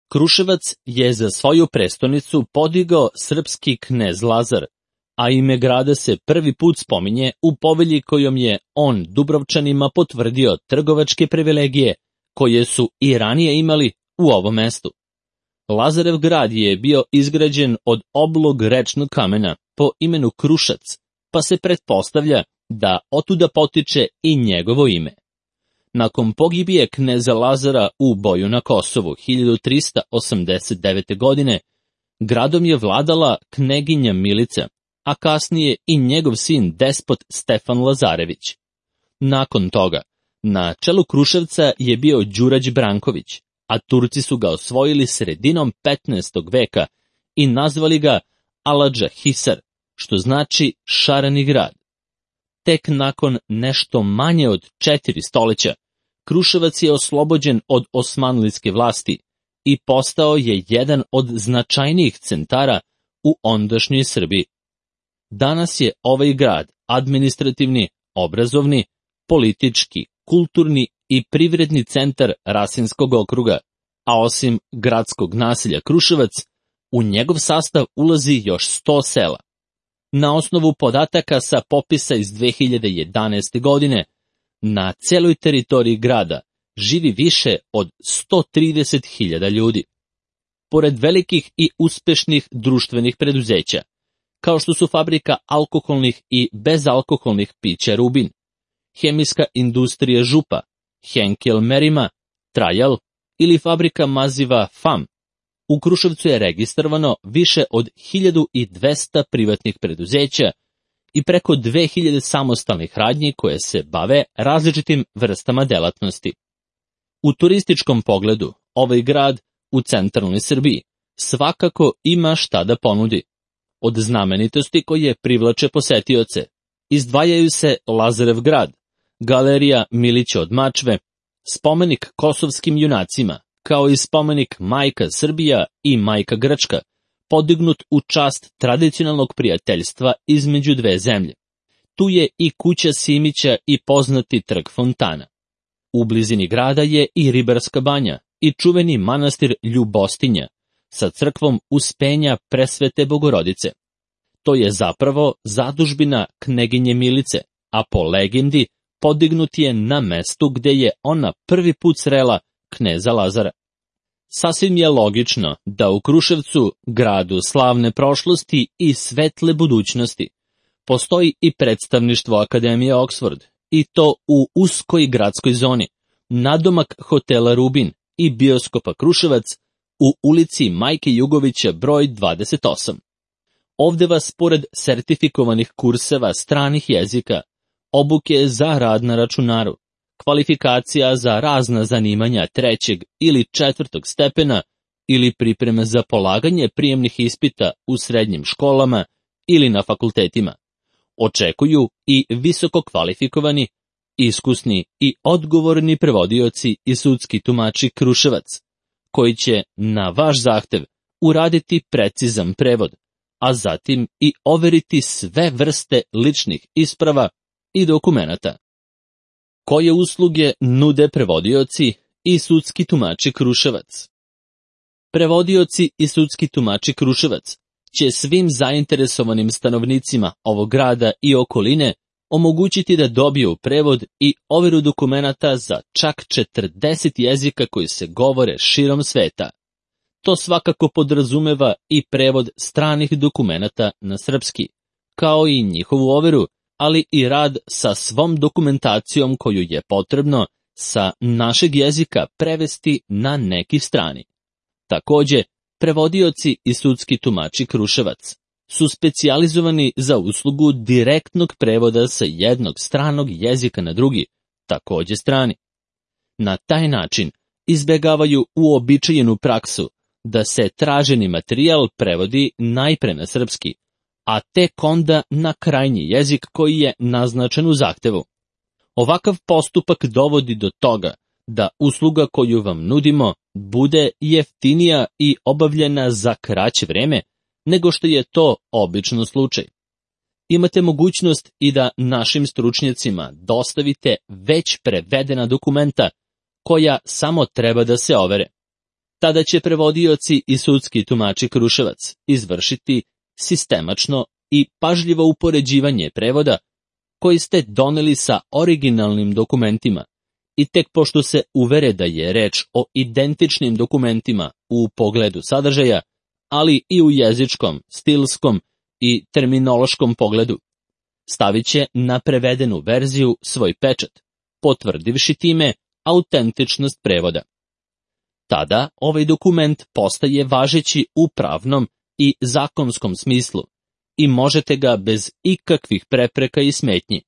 Kruševac je za svoju prestonicu podigao srpski knez Lazar, a ime grada se prvi put spominje u povelji kojom je on Dubrovčanima potvrdio trgovačke privilegije koje su i ranije imali u ovom mestu. Lazarev grad je bio izgrađen od oblog rečnog kamena po imenu Krušac, pa se pretpostavlja da otuda potiče i njegovo ime. Nakon pogibije kneza Lazara u boju na Kosovu 1389. godine, gradom je vladala kneginja Milica, a kasnije i njegov sin despot Stefan Lazarević. Nakon toga, na čelu Kruševca je bio Đurađ Branković, a Turci su ga osvojili sredinom 15. veka i nazvali ga Aladža Hisar, što znači šareni grad. Tek nakon nešto manje od 4 stoljeća, Kruševac je oslobođen od osmanlijske vlasti i postao je jedan od značajnijih centara u ondašnjoj Srbiji. Danas je ovaj grad administrativni, obrazovni, politički, kulturni i privredni centar Rasinskog okruga, a osim gradskog naselja Kruševac, u njegov sastav ulazi još 100 sela. Na osnovu podataka sa popisa iz 2011. godine, na celoj teritoriji grada živi više od 130.000 ljudi. Pored velikih i uspešnih društvenih preduzeća, kao što su fabrika alkoholnih i bezalkoholnih pića Rubin, hemijska industrija Župa, Henkel Merima, Trajal ili fabrika maziva FAM, u Kruševcu je registrovano više od 1200 privatnih preduzeća i preko 2000 samostalnih radnji koje se bave različitim vrstama delatnosti. U turističkom pogledu, ovaj grad u centralnoj Srbiji svakako ima šta da ponudi. Od znamenitosti koje privlače posetioce izdvajaju se Lazarev grad, galerija Milića od Mačve, spomenik kosovskim junacima, kao i spomenik Majka Srbija i Majka Grčka, podignut u čast tradicionalnog prijateljstva između dve zemlje. Tu je i kuća Simića i poznati trg fontana. U blizini grada je i Ribarska banja i čuveni manastir Ljubostinja sa crkvom Uspenja Presvete Bogorodice. To je zapravo zadužbina kneginje Milice, a po legendi podignut je na mestu gde je ona prvi put srela kneza Lazara. Sasvim je logično da u Kruševcu, gradu slavne prošlosti i svetle budućnosti, postoji i predstavništvo Akademije Oxford, i to u uskoj gradskoj zoni, nadomak hotela Rubin i bioskopa Kruševac u ulici Majke Jugovića broj 28. Ovde vas, pored sertifikovanih kurseva stranih jezika, obuke za rad na računaru, kvalifikacija za razna zanimanja 3. ili 4. stepena ili pripreme za polaganje prijemnih ispita u srednjim školama ili na fakultetima, očekuju i visoko kvalifikovani, iskusni i odgovorni prevodioci i sudski tumači Kruševac, koji će na vaš zahtev uraditi precizan prevod, a zatim i overiti sve vrste ličnih isprava i dokumenata. Koje usluge nude prevodioci i sudski tumači Kruševac? Prevodioci i sudski tumači Kruševac će svim zainteresovanim stanovnicima ovog grada i okoline omogućiti da dobiju prevod i overu dokumenata za čak 40 jezika koji se govore širom sveta. To svakako podrazumeva i prevod stranih dokumenata na srpski, kao i njihovu overu, ali i rad sa svom dokumentacijom koju je potrebno sa našeg jezika prevesti na neki strani. Takođe, prevodioci i sudski tumači Kruševac su specijalizovani za uslugu direktnog prevoda sa jednog stranog jezika na drugi, takođe strani. Na taj način izbegavaju uobičajenu praksu da se traženi materijal prevodi najpre na srpski, a tek onda na krajnji jezik koji je naznačen u zahtevu. Ovakav postupak dovodi do toga da usluga koju vam nudimo bude jeftinija i obavljena za kraće vreme nego što je to obično slučaj. Imate mogućnost i da našim stručnjacima dostavite već prevedena dokumenta koja samo treba da se overe. Tada će prevodioci i sudski tumači Kruševac izvršiti sistemačno i pažljivo upoređivanje prevoda koji ste doneli sa originalnim dokumentima i tek pošto se uvere da je reč o identičnim dokumentima u pogledu sadržaja, ali i u jezičkom, stilskom i terminološkom pogledu, stavit će na prevedenu verziju svoj pečat, potvrdivši time autentičnost prevoda. Tada ovaj dokument postaje važeći u pravnom i zakonskom smislu i možete ga bez ikakvih prepreka i smetnji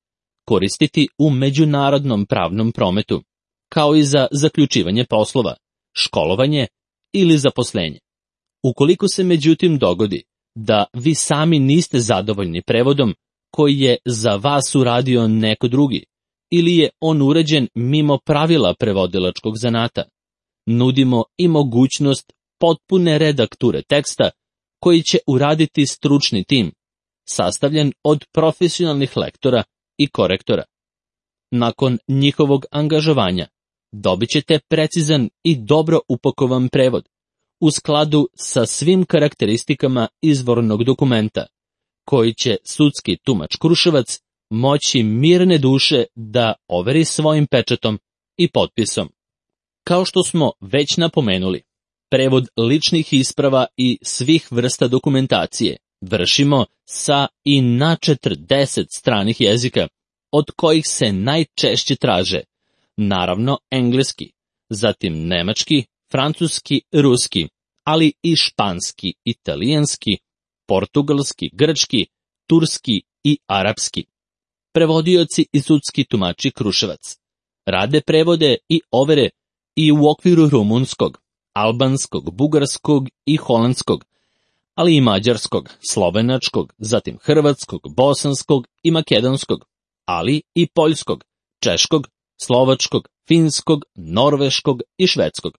koristiti u međunarodnom pravnom prometu, kao i za zaključivanje poslova, školovanje ili zaposlenje. Ukoliko se međutim dogodi da vi sami niste zadovoljni prevodom koji je za vas uradio neko drugi ili je on urađen mimo pravila prevodilačkog zanata, nudimo i mogućnost potpune redakture teksta koji će uraditi stručni tim, sastavljen od profesionalnih lektora i korektora. Nakon njihovog angažovanja dobit ćete precizan i dobro upakovan prevod, u skladu sa svim karakteristikama izvornog dokumenta, koji će sudski tumač Kruševac moći mirne duše da overi svojim pečatom i potpisom. Kao što smo već napomenuli, prevod ličnih isprava i svih vrsta dokumentacije vršimo sa i na 40 stranih jezika, od kojih se najčešće traže, naravno engleski, zatim nemački, francuski, ruski, ali i španski, italijanski, portugalski, grčki, turski i arapski. Prevodioci i sudski tumači Kruševac rade prevode i overe i u okviru rumunskog, albanskog, bugarskog i holandskog, ali i mađarskog, slovenačkog, zatim hrvatskog, bosanskog i makedonskog, ali i poljskog, češkog, slovačkog, finskog, norveškog i švedskog.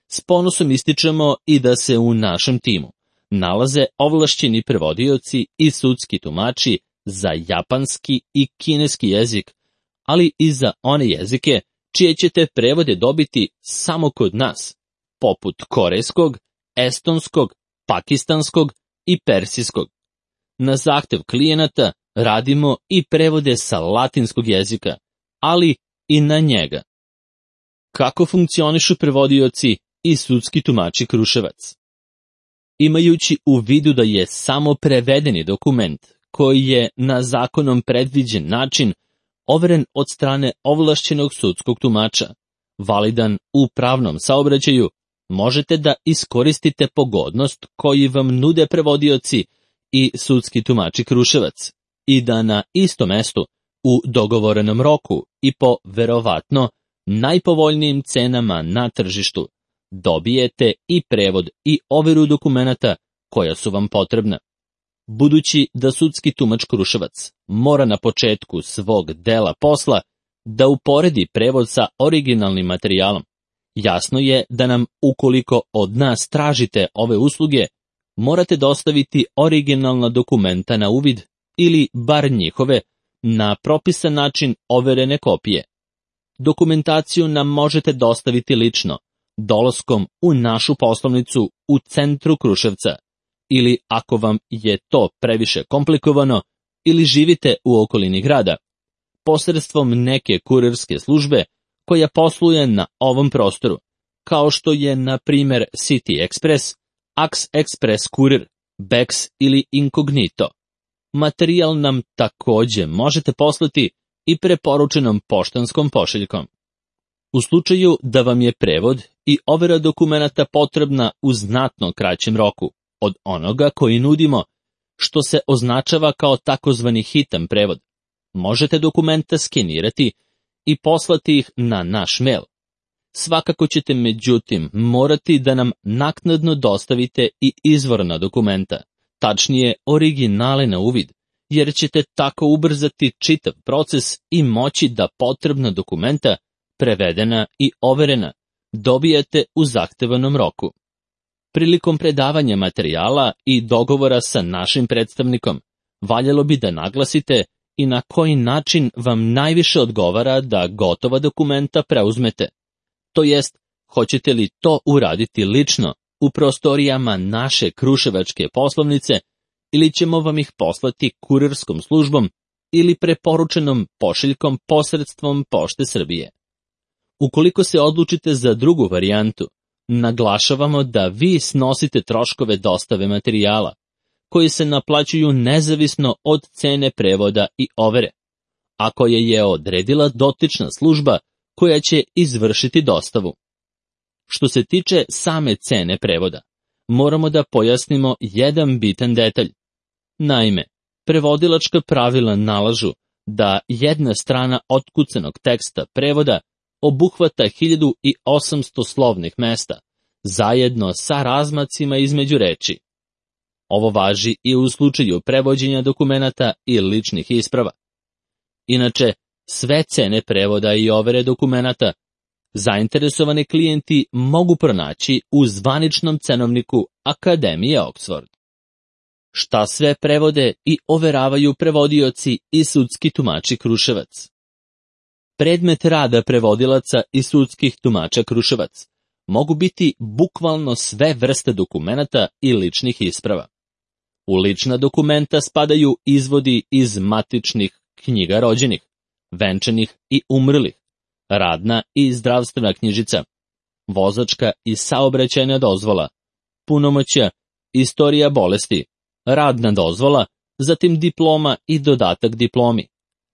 S ponosom ističemo i da se u našem timu nalaze ovlašćeni prevodioci i sudski tumači za japanski i kineski jezik, ali i za one jezike čije ćete prevode dobiti samo kod nas, poput korejskog, estonskog, pakistanskog i persijskog. Na zahtev klijenata radimo i prevode sa latinskog jezika, ali i na njega. Kako funkcionišu prevodioci i sudski tumači Kruševac? Imajući u vidu da je samo prevedeni dokument, koji je na zakonom predviđen način overen od strane ovlašćenog sudskog tumača, validan u pravnom saobraćaju, možete da iskoristite pogodnost koju vam nude prevodioci i sudski tumači Kruševac i da na istom mestu, u dogovorenom roku i po verovatno najpovoljnijim cenama na tržištu, dobijete i prevod i overu dokumenata koja su vam potrebna. Budući da sudski tumač Kruševac mora na početku svog dela posla da uporedi prevod sa originalnim materijalom, jasno je da nam, ukoliko od nas tražite ove usluge, morate dostaviti originalna dokumenta na uvid ili bar njihove na propisan način overene kopije. Dokumentaciju nam možete dostaviti lično, dolaskom u našu poslovnicu u centru Kruševca, ili ako vam je to previše komplikovano ili živite u okolini grada, posredstvom neke kurirske službe koja posluje na ovom prostoru, kao što je na primjer City Express, Ax Express Kurir, Bex ili Incognito. Materijal nam takođe možete poslati i preporučenom poštanskom pošiljkom. U slučaju da vam je prevod i overa dokumenata potrebna u znatno kraćem roku od onoga koji nudimo, što se označava kao takozvani hitan prevod, možete dokumenta skenirati i poslati ih na naš mail. Svakako ćete međutim morati da nam naknadno dostavite i izvorna dokumenta, tačnije originale na uvid, jer ćete tako ubrzati čitav proces i moći da potrebna dokumenta, prevedena i overena, dobijete u zahtevanom roku. Prilikom predavanja materijala i dogovora sa našim predstavnikom, valjalo bi da naglasite i na koji način vam najviše odgovara da gotova dokumenta preuzmete. To jest, Hoćete li to uraditi lično u prostorijama naše kruševačke poslovnice ili ćemo vam ih poslati kurirskom službom ili preporučenom pošiljkom posredstvom Pošte Srbije? Ukoliko se odlučite za drugu varijantu, naglašavamo da vi snosite troškove dostave materijala, koji se naplaćuju nezavisno od cene prevoda i overe, a koje je odredila dotična služba koja će izvršiti dostavu. Što se tiče same cene prevoda, moramo da pojasnimo jedan bitan detalj. Naime, prevodilačka pravila nalažu da jedna strana otkucanog teksta prevoda obuhvata 1800 slovnih mesta, zajedno sa razmacima između reči. Ovo važi i u slučaju prevođenja dokumenata i ličnih isprava. Inače, sve cene prevoda i overe dokumenata zainteresovani klijenti mogu pronaći u zvaničnom cenovniku Akademije Oxford. Šta sve prevode i overavaju prevodioci i sudski tumači Kruševac? Predmet rada prevodilaca i sudskih tumača Kruševac mogu biti bukvalno sve vrste dokumenata i ličnih isprava. U lična dokumenta spadaju izvodi iz matičnih knjiga rođenih, venčanih i umrlih, radna i zdravstvena knjižica, vozačka i saobraćajna dozvola, punomoćja, istorija bolesti, radna dozvola, zatim diploma i dodatak diplomi,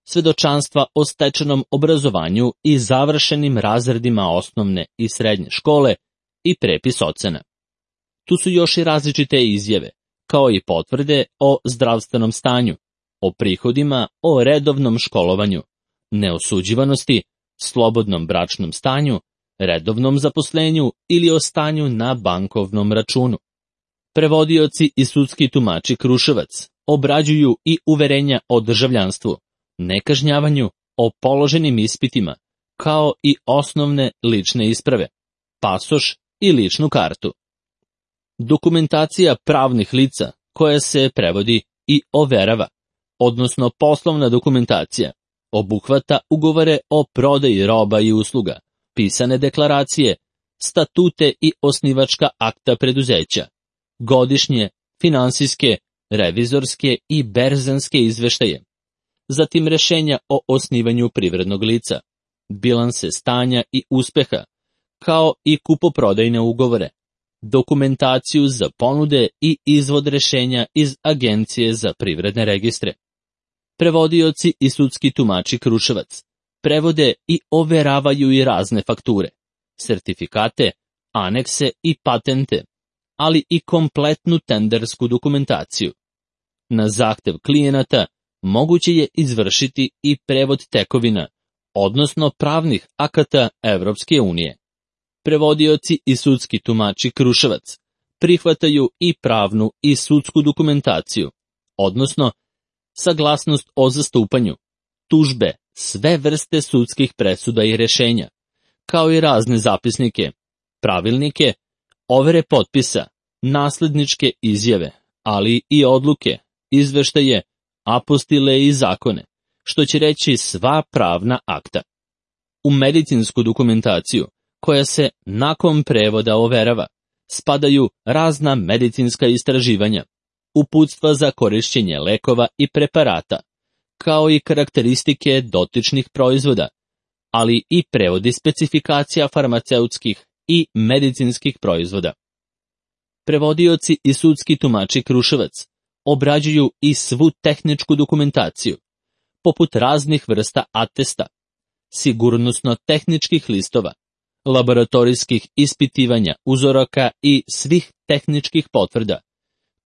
svedočanstva o stečenom obrazovanju i završenim razredima osnovne i srednje škole i prepis ocena. Tu su još i različite izjave, kao i potvrde o zdravstvenom stanju, o prihodima, o redovnom školovanju, neosuđivanosti, slobodnom bračnom stanju, redovnom zaposlenju ili o stanju na bankovnom računu. Prevodioci i sudski tumači Kruševac obrađuju i uverenja o državljanstvu, nekažnjavanju, o položenim ispitima, kao i osnovne lične isprave, pasoš i ličnu kartu. Dokumentacija pravnih lica koja se prevodi i overava, odnosno poslovna dokumentacija, obuhvata ugovore o prodaji roba i usluga, pisane deklaracije, statute i osnivačka akta preduzeća, godišnje, finansijske, revizorske i berzanske izveštaje, zatim rešenja o osnivanju privrednog lica, bilanse stanja i uspeha, kao i kupoprodajne ugovore, dokumentaciju za ponude i izvod rešenja iz Agencije za privredne registre. Prevodioci i sudski tumači Kruševac prevode i overavaju i razne fakture, sertifikate, anekse i patente, ali i kompletnu tendersku dokumentaciju. Na zahtev klijenata moguće je izvršiti i prevod tekovina, odnosno pravnih akata Evropske unije. Prevodioci i sudski tumači Kruševac prihvataju i pravnu i sudsku dokumentaciju, odnosno saglasnost o zastupanju, tužbe, sve vrste sudskih presuda i rešenja, kao i razne zapisnike, pravilnike, overe potpisa, nasledničke izjave, ali i odluke, izveštaje, apostile i zakone, što će reći sva pravna akta. U medicinsku dokumentaciju, koja se nakon prevoda overava, spadaju razna medicinska istraživanja, uputstva za korišćenje lekova i preparata, kao i karakteristike dotičnih proizvoda, ali i prevodi specifikacija farmaceutskih i medicinskih proizvoda. Prevodioci i sudski tumači Kruševac obrađuju i svu tehničku dokumentaciju, poput raznih vrsta atesta, sigurnosno-tehničkih listova, laboratorijskih ispitivanja uzoraka i svih tehničkih potvrda,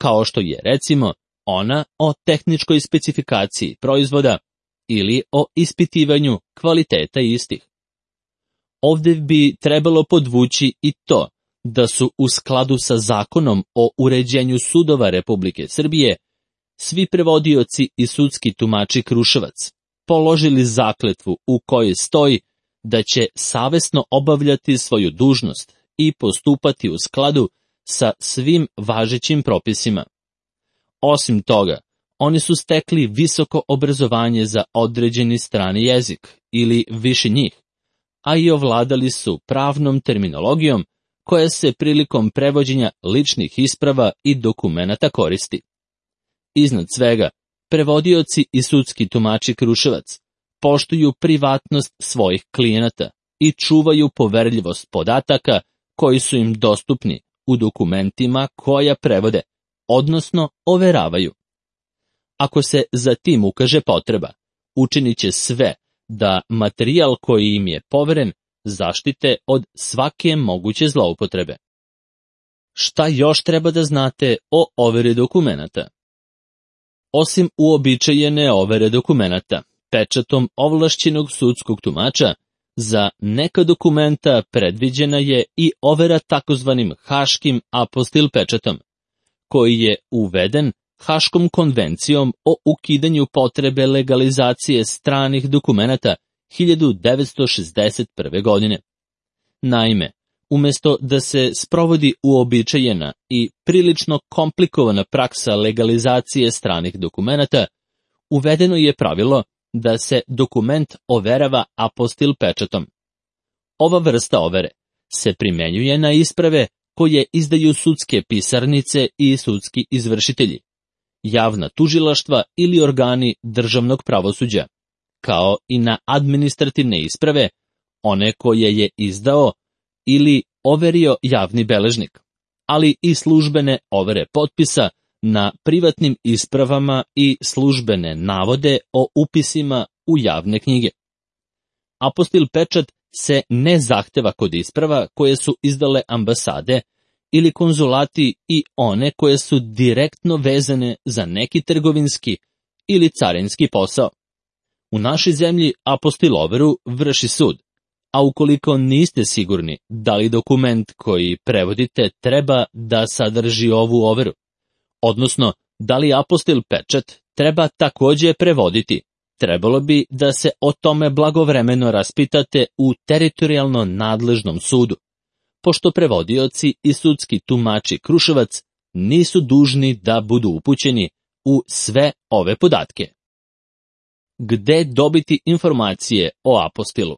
kao što je recimo ona o tehničkoj specifikaciji proizvoda ili o ispitivanju kvaliteta istih. Ovdje bi trebalo podvući i to da su u skladu sa Zakonom o uređenju sudova Republike Srbije svi prevodioci i sudski tumači Kruševac položili zakletvu u kojoj stoji da će savesno obavljati svoju dužnost i postupati u skladu sa svim važećim propisima. Osim toga, oni su stekli visoko obrazovanje za određeni strani jezik ili više njih, a i ovladali su pravnom terminologijom koja se prilikom prevođenja ličnih isprava i dokumenata koristi. Iznad svega, prevodioci i sudski tumači Kruševac poštuju privatnost svojih klijenata i čuvaju poverljivost podataka koji su im dostupni u dokumentima koja prevode, odnosno overavaju. Ako se za tim ukaže potreba, učinit će sve da materijal koji im je poveren zaštite od svake moguće zloupotrebe. Šta još treba da znate o overi dokumenata? Osim uobičajene overe dokumenata, pečatom ovlašćenog sudskog tumača, za neka dokumenta predviđena je i overa takozvanim haškim apostil pečatom, koji je uveden Haškom konvencijom o ukidanju potrebe legalizacije stranih dokumenata 1961. godine. Naime, umesto da se sprovodi uobičajena i prilično komplikovana praksa legalizacije stranih dokumenata, uvedeno je pravilo da se dokument overava apostil pečatom. Ova vrsta overe se primenjuje na isprave koje izdaju sudske pisarnice i sudski izvršitelji, javna tužilaštva ili organi državnog pravosuđa, kao i na administrativne isprave, one koje je izdao ili overio javni beležnik, ali i službene overe potpisa na privatnim ispravama i službene navode o upisima u javne knjige. Apostil pečat se ne zahteva kod isprava koje su izdale ambasade ili konzulati i one koje su direktno vezane za neki trgovinski ili carinski posao. U našoj zemlji apostil overu vrši sud, a ukoliko niste sigurni da li dokument koji prevodite treba da sadrži ovu overu, odnosno da li apostil pečat treba takođe prevoditi, trebalo bi da se o tome blagovremeno raspitate u teritorijalno nadležnom sudu, pošto prevodioci i sudski tumači Kruševac nisu dužni da budu upućeni u sve ove podatke. Gde dobiti informacije o apostilu?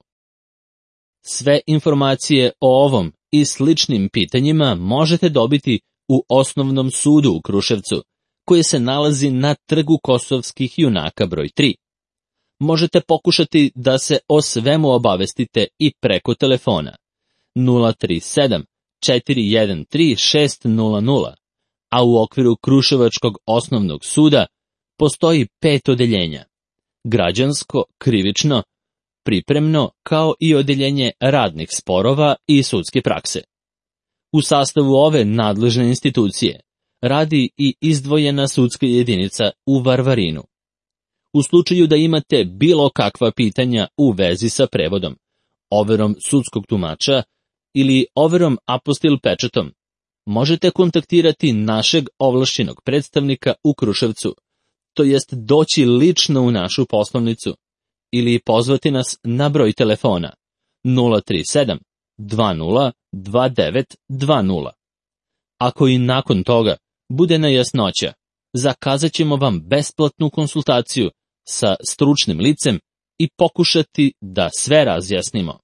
Sve informacije o ovom i sličnim pitanjima možete dobiti u Osnovnom sudu u Kruševcu, koji se nalazi na Trgu Kosovskih junaka broj 3. Možete pokušati da se o svemu obavestite i preko telefona 037 413 600, a u okviru Kruševačkog osnovnog suda postoji 5 odeljenja: građansko, krivično, pripremno, kao i odeljenje radnih sporova i sudske prakse. U sastavu ove nadležne institucije radi i izdvojena sudska jedinica u Varvarinu. U slučaju da imate bilo kakva pitanja u vezi sa prevodom, overom sudskog tumača ili overom apostil pečatom, možete kontaktirati našeg ovlašćenog predstavnika u Kruševcu, to jest doći lično u našu poslovnicu ili pozvati nas na broj telefona 037 20 29 20. Ako i nakon toga bude nejasnoća, zakazat ćemo vam besplatnu konsultaciju sa stručnim licem i pokušati da sve razjasnimo.